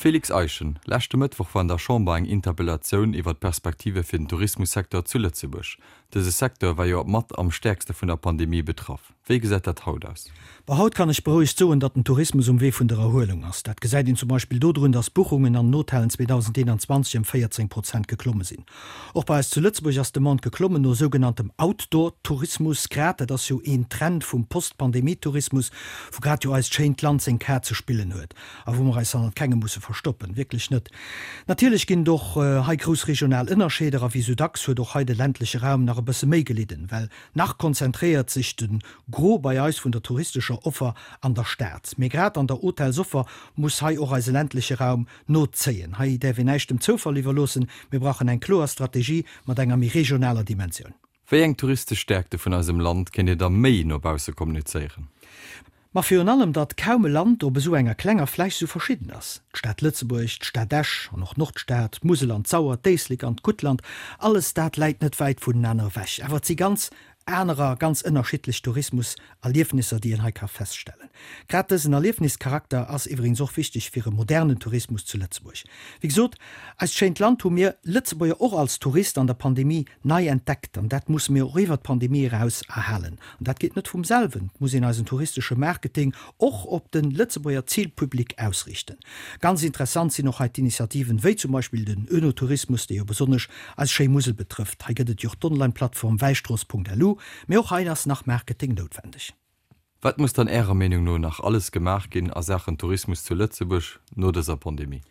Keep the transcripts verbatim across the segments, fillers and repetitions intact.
Félix Eischen, leschte Mëttwoch war an der Chamber eng Interpellatioun iwwer d'Perspektive fir den Tourismussecteur zu Lëtzebuerg. Dëse Secteur war jo mat am stäerkste vun der Pandemie betraff. Wéi gesäit dat haut aus? Bon, haut kann ech berouegt soen, datt den Tourismus um Wee vun der Erhuelung ass. Dat gesäit een zum Beispill dodrun, datt d'Buchungen an den Hotellen zweedausendeenanzwanzeg ëm véierzéng Prozent geklomme sinn. Och bei eis zu Lëtzebuerg ass d'Demande geklommen no sougenanntem Outdoor-Tourismus. Grad dat ass jo een Trend vum Post-Pandemie-Tourismus, wou grad jo eist schéint Land seng Kaart ze spillen huet a wou mer eis hannert kengem musse verstoppen. Wierklech net. Natierlech ginn et och hei grouss regional Ënnerscheeder a wéi sou dacks huet och hei de ländleche Raum nach e bësse méi gelidden, well nach konzentréiert sech de Gros bei eis vun der touristescher Offer an der Stad. Mee grad an der Hotelsoffer muss hei och eise ländleche Raum nozéien. Hei däerf een näischt dem Zoufall iwwerloossen, mir brauchen eng kloer Strategie mat enger méi regionaler Dimensioun. Wéi eng touristesch Stäerkte vun eisem Land kéint Dir da méi no bausse kommunizéieren? Ma virun allem, datt kaum e Land op esou enger klenger Fläch esou verschidden ass. D'Stad Lëtzebuerg, d'Stad Esch an och d'Nordstad, d'Musel an d'Sauer, d'Éislek an d'Guttland, alles dat läit net wäit vunenaner ewech. Awer et si ganz anerer, ganz ënnerschiddlech Tourismus-Erliefnisser, déi een hei ka feststellen. Grad dësen Erliefnischarakter ass iwwregens och wichteg fir e modernen Tourismus zu Lëtzebuerg. Wéi gesot, eist schéint Land hu mir Lëtzebuerger och als Tourist an der Pandemie nei entdeckt an dat musse mir och iwwert d'Pandemie eraus erhalen. An dat geet net vum selwen, et muss een eisen touristesche Marketing och op de Lëtzebuerger Zilpublic ausriichten. Ganz interessant sinn och hei d'Initiativen, wéi zum Beispill den Oenotourismus, dee jo besonnesch eis schéi Musel betrëfft. Hei gëtt et jo och d'Online-Plattform wäistrooss.lu. Mee och hei ass nach Marketing noutwendeg. Wat muss dann Ärer Meenung no nach alles gemaach ginn a Saachen Tourismus zu Lëtzebuerg no dëser Pandemie?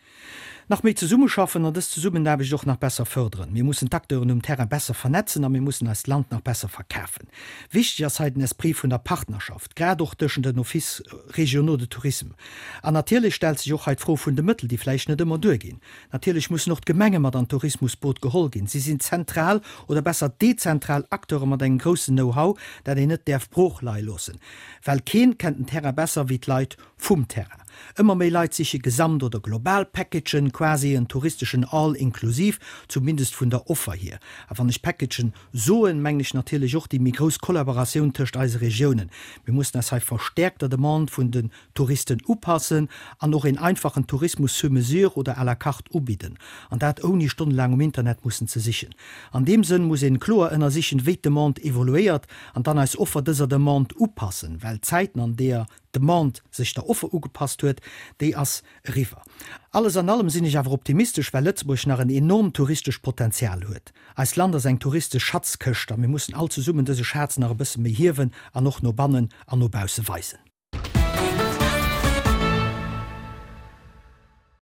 Nach méi zesummeschaffen an dës Zesummenaarbecht och nach besser fërderen. Mir mussen d'Acteuren um Terrain besser vernetzen a mir mussen eist Land nach besser verkafen. Wichteg ass hei den Esprit vun der Partnerschaft, grad och tëschent den Offices régionaux de tourisme. An natierlech stellt sech och hei d'Fro vun de Mëttel, déi vläicht net ëmmer duerginn. Natierlech mussen och d'Gemenge mat an d'Tourismusboot geholl ginn. Si sinn zentral oder besser dezentral Acteure mat engem groussen Know-how, dat een net däerf brooch leie loossen. Well keen kennt den Terrain besser wéi d'Leit vum Terrain. Ëmmer méi Leit siche Gesamt oder global Packagen, quasi en touristeschen All-inclusive, zumindest vun der Offer hier. A wann ech Packagen soen, mengen ech natierlech och déi méi grouss Kollaboratioun tëscht eise Regiounen. Mir mussen eis hei verstäerkt der Demande vun den Touristen upassen an och een einfachen Tourismus sur mesure oder à la carte ubidden. An dat ouni stonnelaang um Internet mussen ze sichen. An deem Sënn muss een kloer ënnersichen, wéi d'Demande evoluéiert an dann eis Offer dëser Demande upassen, well d'Zäiten, an deeër d'Demande sech der Offer ugepasst huet, déi ass eriwwer. Alles an allem sinn ech awer optimistesch, well Lëtzebuerg nach en enormt touristescht Potenzial huet. Eist Land ass eng touristesch Schatzkëscht a mir mussen all zesummen dëse Schaz nach e bësse méi hiewen an och no bannen an no bausse weisen.